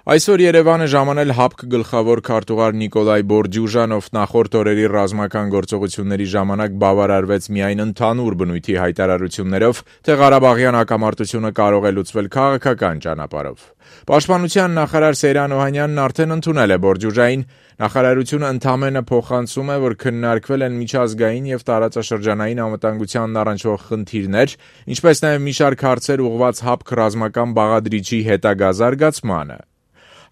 Այսօր Երևանը ժամանել ՀԱՊԿ գլխավոր քարտուղար Նիկոլայ Բորդյուժան, ով նախորդ օրերի ռազմական գործողությունների ժամանակ բավարարվեց միայն ընդհանուր բնույթի հայտարարություններով, թե Ղարաբաղյան հակամարտությունը կարող է լուծվել քաղաքական ճանապարհով։ Պաշտպանության նախարար Սեյրան Օհանյանն արդեն ընդունել է Բորդյուժային, նախարարությունը ընդամենը փոխանցում է, որ քննարկվել են միջազգային եւ տարածաշրջանային անվտանգությանն առնչվող խնդիրներ, ինչպես նաեւ մի շարք հարցեր ուղղված ՀԱՊԿ ռազմական բաղադրիչի հետագա զարգացմանը։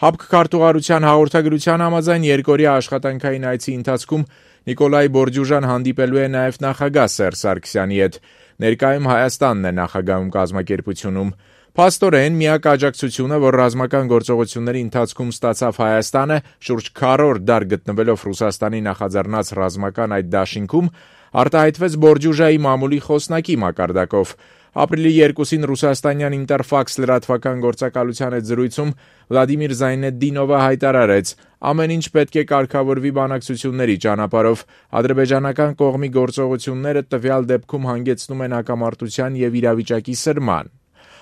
ՀԱՊԿ քարտուղարության հաղորդագրության համաձայն երկօրյա աշխատանքային այցի ընթացքում Նիկոլայ Բորդյուժան հանդիպելու է նաև նախագահ Սերժ Սարգսյանի հետ։ Ներկայում Հայաստանն է նախագահում կազմակերպությունում։ Փաստորեն միակ աջակցությունը, որ ռազմական գործողությունների ընթացքում ստացավ Հայաստանը, շուրջ քառորդ դար գտնվելով Ռուսաստանի նախաձեռնած ռազմական այդ դաշինքում, արտահայտվեց Բորդյուժայի մամուլի խոսնակի մակարդակով։ Ապրիլի 2-ին ռուսաստանյան Ինտերֆաքս լրատվական գործակալության հետ զրույցում Վլադիմիր Զայնեդդինովը հայտարարեց. ամեն ինչ պետք է կարգավորվի բանակցությունների ճանապարհով, ադրբեջանական կողմի գործողությունները տվյալ դեպքում հանգեցնում են հակամարտության եւ իրավիճակի սրման։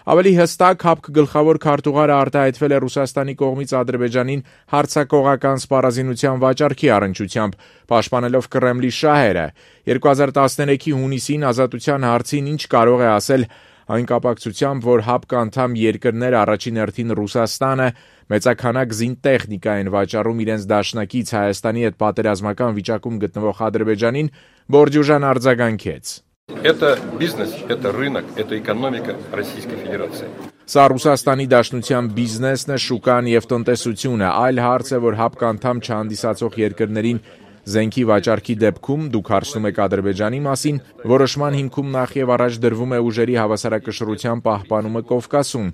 Ավելի հստակ ՀԱՊԿ գլխավոր քարտուղարը արտահայտվել է Ռուսաստանի կողմից Ադրբեջանին հարձակողական սպառազինության վաճառքի առնչությամբ, պաշտպանելով Կրեմլի շահերը։ 2013-ի հունիսին ազատության հարցին ինչ կարող է ասել այն կապակցությամբ, որ ՀԱՊԿ անդամ երկրներ, առաջին հերթին Ռուսաստանը, մեծաքանակ զինտեխնիկա են վաճառում իրենց դաշնակից Հայաստանի հետ պատերազմական վիճակում գտնվող Ադրբեջանին, Բորդյուժան արձագանքեց. Это бизнес, это рынок, это экономика Российской Федерации. Սա Ռուսաստանի Դաշնության բիզնեսն է, շուկան եւ տնտեսությունը, այլ հարց է, որ ՀԱՊԿ անդամ չհանդիսացող երկրներին զենքի վաճառքի դեպքում դուք հարցնում եք Ադրբեջանի մասին, որոշման հիմքում նախ եւ առաջ դրվում է ուժերի հավասարակշռության պահպանումը Կովկասում,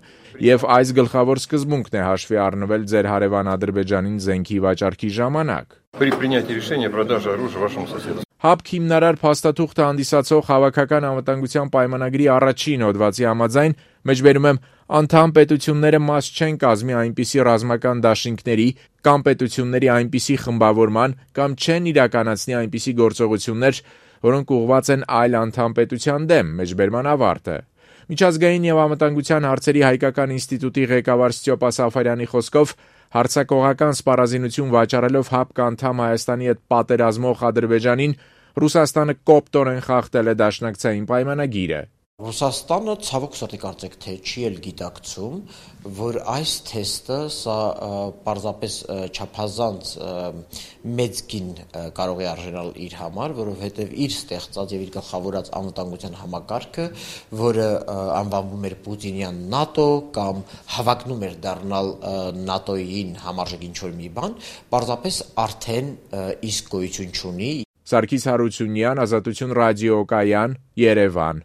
եւ այս գլխավոր սկզբունքն է հաշվի առնվել ձեր հարևան Ադրբեջանին զենքի վաճառքի ժամանակ։ При принятии решения продажи оружия вашему соседу. ՀԱՊԿ հիմնարար փաստաթուղթը հանդիսացող հավաքական անվտանգության պայմանագրի առաջին հոդվածի համաձայն, մեջբերում եմ, անդամ պետությունները մաս չեն կազմի այնպիսի ռազմական դաշինքների կամ պետությունների այնպիսի խմբավորման կամ չեն իրականացնի այնպիսի գործողություններ, որոնք ուղղված են այլ անդամ պետության դեմ, մեջբերման ավարտը։ Միջազգային եւ անվտանգության հարցերի հայկական ինստիտուտի ղեկավար Ստյոպա Սաֆարյանի խոսքով հարձակողական սպառազինություն վաճառելով ՀԱՊԿ անդամ Հայաստանի հետ պատերազմող Ադրբեջանին, Ռուսաստանը կոպտորեն խախտել է դաշնակցային պայմանագիրը։ Ռուսաստանը ցավոք սրտի կարծեք թե չի էլ գիտակցում, որ այս թեստը սա պարզապես չափազանց մեծ գին կարող է արժանալ իր համար, որովհետև իր ստեղծած եւ իր գլխավորած անվտանգության համակարգը, որը անվանվում էր Պուտինյան ՆԱՏՕ կամ հավակնում էր դառնալ ՆԱՏՕ-ին համարժեք ինչ-որ մի բան, պարզապես արդեն իսկ գոյություն չունի։ Սարգիս Հարությունյան, Ազատություն ռադիոկայան, Երևան։